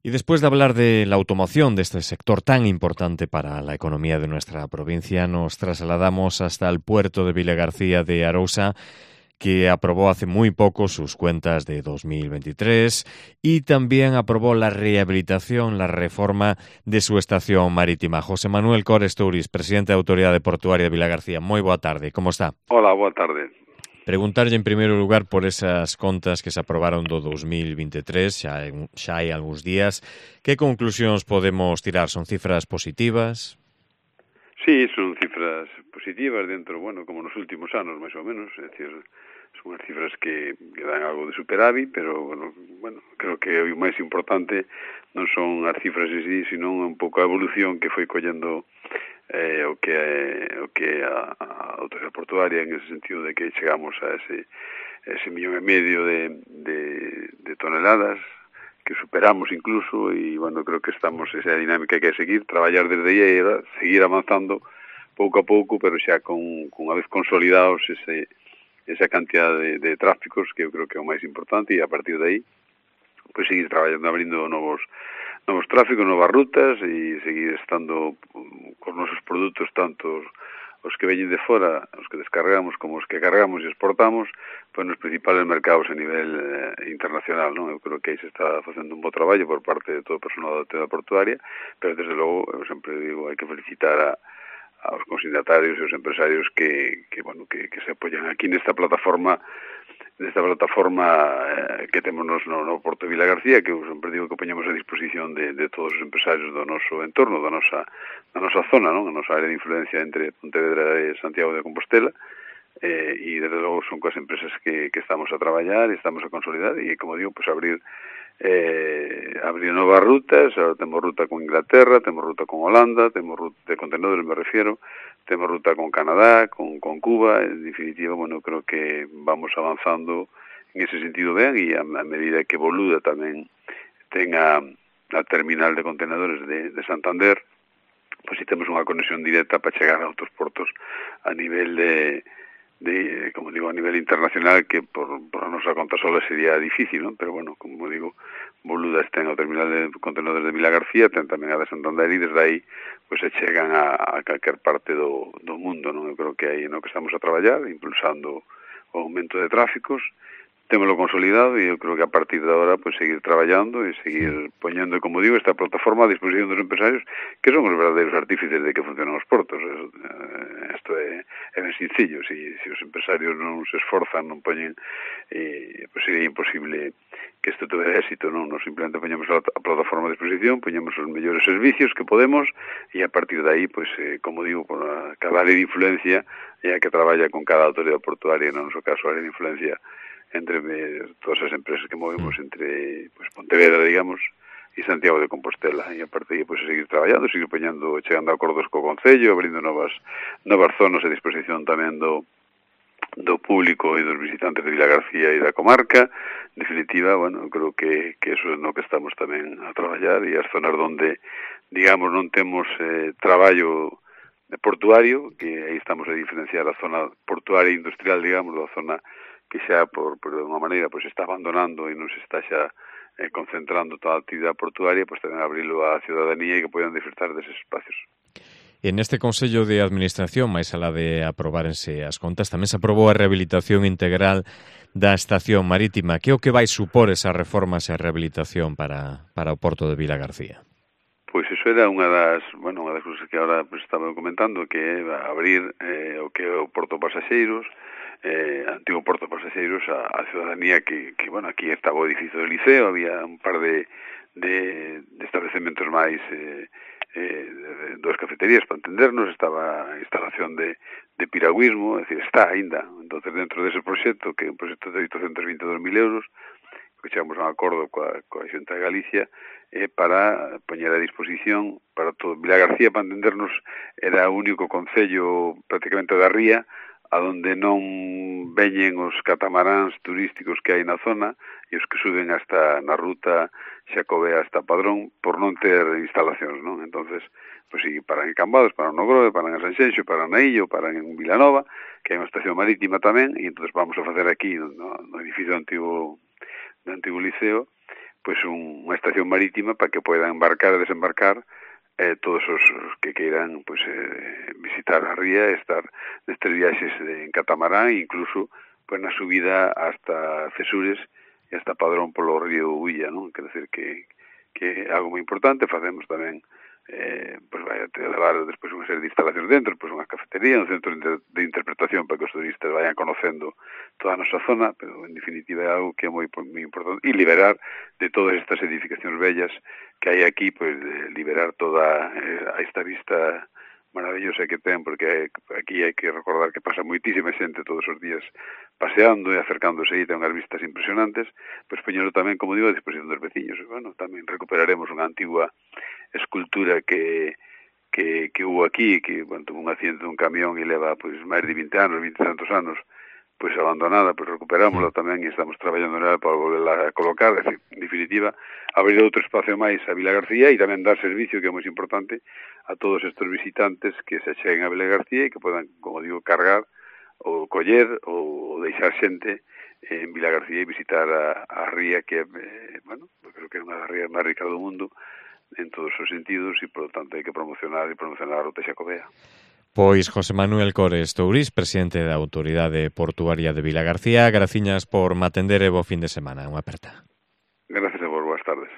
Y después de hablar de la automoción, de este sector tan importante para la economía de nuestra provincia, nos trasladamos hasta el puerto de Vilagarcía de Arousa, que aprobó hace muy poco sus cuentas de 2023 y también aprobó la rehabilitación, la reforma de su estación marítima. José Manuel Cores Touris, presidente da Autoridade Portuaria de Vilagarcía. Moi boa tarde, como está? Hola, boa tarde. Preguntarlle en primeiro lugar por esas contas que se aprobaron do 2023, xa hai algúns días. Que conclusións podemos tirar? Son cifras positivas? Sí, son cifras positivas dentro, bueno, como nos últimos anos, máis ou menos, é dicir, son as cifras que dan algo de superávit, pero, bueno, creo que o máis importante non son as cifras en sí, sino un pouco a evolución que foi collendo o que a autoridade portuaria, en ese sentido de que chegamos a ese 1,5 millón de toneladas, que superamos incluso, e, bueno, creo que estamos esa dinámica que é seguir, traballar desde aí e seguir avanzando pouco a pouco, pero xa con unha vez consolidados esa cantidad de tráficos, que eu creo que é o máis importante, e a partir de aí, pues seguir traballando, abrindo novos tráficos, novas rutas, e seguir estando cos nosos produtos, tanto os que veñen de fora, os que descargamos, como os que cargamos e exportamos, pues nos principales mercados a nivel internacional, non? Eu creo que aí se está facendo un bo traballo por parte de todo o personal da autoridade portuaria, pero desde logo, eu sempre digo, hai que felicitar aos consignatarios e aos empresarios que se apoyan aquí nesta plataforma que temos no Porto de Vilagarcía, que eu sempre digo que poñemos a disposición de todos os empresarios do noso entorno, da nosa zona, non? A nosa área de influencia entre Pontevedra e Santiago de Compostela, e desde logo son coas empresas que estamos a traballar e estamos a consolidar, e como digo, pues abrir novas rutas. Ahora temos ruta con Inglaterra, temos ruta con Holanda, temos ruta de contenedores, me refiero, temos ruta con Canadá, con Cuba. En definitiva, bueno, creo que vamos avanzando en ese sentido ben, e a medida que Boluda tamén tenga a terminal de contenedores de Santander, pues si temos unha conexión directa para chegar a outros portos a nivel como digo, a nivel internacional, que por a nosa conta sola sería difícil, non? Pero, bueno, como digo, Boluda ten o terminal de contenedores de Vilagarcía, ten tamén a de Santander, e desde aí pues se chegan a calquer parte do mundo, non? Eu creo que aí no que estamos a traballar, impulsando o aumento de tráficos, témolo consolidado, e eu creo que a partir de agora pues seguir traballando e seguir poñendo, como digo, esta plataforma a disposición dos empresarios, que son os verdadeiros artífices de que funcionan os portos. Isto é ben sencillo. Se os empresarios non se esforzan, non poñen, pues sería imposible que isto tuve éxito, non? Nos simplemente poñemos a plataforma a disposición, poñemos os mellores servicios que podemos, e a partir de aí, pues, como digo, con cada área de influencia é a que traballa con cada autoridade portuaria, no noso caso, a área de influencia entre todas as empresas que movemos entre, pues, Pontevedra, digamos, e Santiago de Compostela, e a partir de aí, pues, seguir traballando, seguir chegando a acordos co Concello, abrindo novas zonas a disposición tamén do público e dos visitantes de Vilagarcía e da comarca. En definitiva, bueno, creo que eso é no que estamos tamén a traballar, e as zonas onde, digamos, non temos traballo portuario, que aí estamos a diferenciar a zona portuaria e industrial, digamos, da zona que xa, por unha maneira, pues está abandonando e non se está xa concentrando toda a actividade portuaria, pues tamén abrilo á ciudadanía e que poidan disfrutar deses espacios. En este Consello de Administración, máis alá de aprobarense as contas, tamén se aprobou a rehabilitación integral da estación marítima. Que é o que vai supor esa reforma, esa rehabilitación para o Porto de Vilagarcía? Pois iso era unha das cousas que agora pues estaba comentando, que é abrir o que é o Porto Pasaxeiros, antigo Porto Pasaxeiros, a ciudadanía que bueno, aquí estaba o edificio do Liceo, había un par de establecementos máis, dos cafeterías, para entendernos, estaba a instalación de piragüismo, é dicir, está aínda. Entonces, dentro dese proxecto, que é un proxecto de 822.000 euros, que chegamos a un acordo coa Xunta de Galicia, para poñer a disposición para todo. Vilagarcía, para entendernos, era o único concello prácticamente da ría a donde non veñen os catamaráns turísticos que hai na zona e os que suben hasta na ruta Xacobea hasta Padrón por non ter instalacións, non? Entonces, pues si paran en Cambados, paran no Grove, paran en Sanxenxo, paran na Illo, paran en Vilanova, que hai unha estación marítima tamén, e entonces vamos a facer aquí no edificio do antigo Liceo, unha estación marítima para que poidan embarcar e desembarcar todos os que queiran visitar a ría e estar nestes viaxes en catamarán e incluso na subida hasta Cesures e hasta Padrón polo río Ulla, non? Quer dizer que é algo moi importante. Facemos tamén vai a levar despois unha serie de instalacións dentro, unha cafetería, un centro de interpretación para que os turistas vayan conocendo toda a nosa zona, pero en definitiva é algo que é moi importante, e liberar de todas estas edificacións bellas que hai aquí, de liberar toda esta vista maravillosa que ten, porque aquí hai que recordar que pasa moitísima xente todos os días paseando e acercándose aí, ten unhas vistas impresionantes, poñelo tamén, como digo, a disposición dos veciños. Tamén recuperaremos unha antigua escultura que hubo aquí, que tuvo un accidente dun camión e leva máis de 20 anos, 20 e tantos anos, abandonada, recuperámosla tamén e estamos traballando nela para volverla a colocar. É dicir, en definitiva, abrir outro espacio máis a Vila García e tamén dar servicio, que é moi importante, a todos estes visitantes que se cheguen a Vila García e que podan, como digo, cargar ou coller ou deixar xente en Vila García e visitar a ría que, creo que é unha das rías máis ricas do mundo en todos os sentidos e, por lo tanto, hai que promocionar a ruta xacobea. Pois José Manuel Cores Tourís, presidente da Autoridade Portuaria de Vilagarcía, graciñas por matender e bo fin de semana. Unha aperta. Gracias a vos, boas tardes.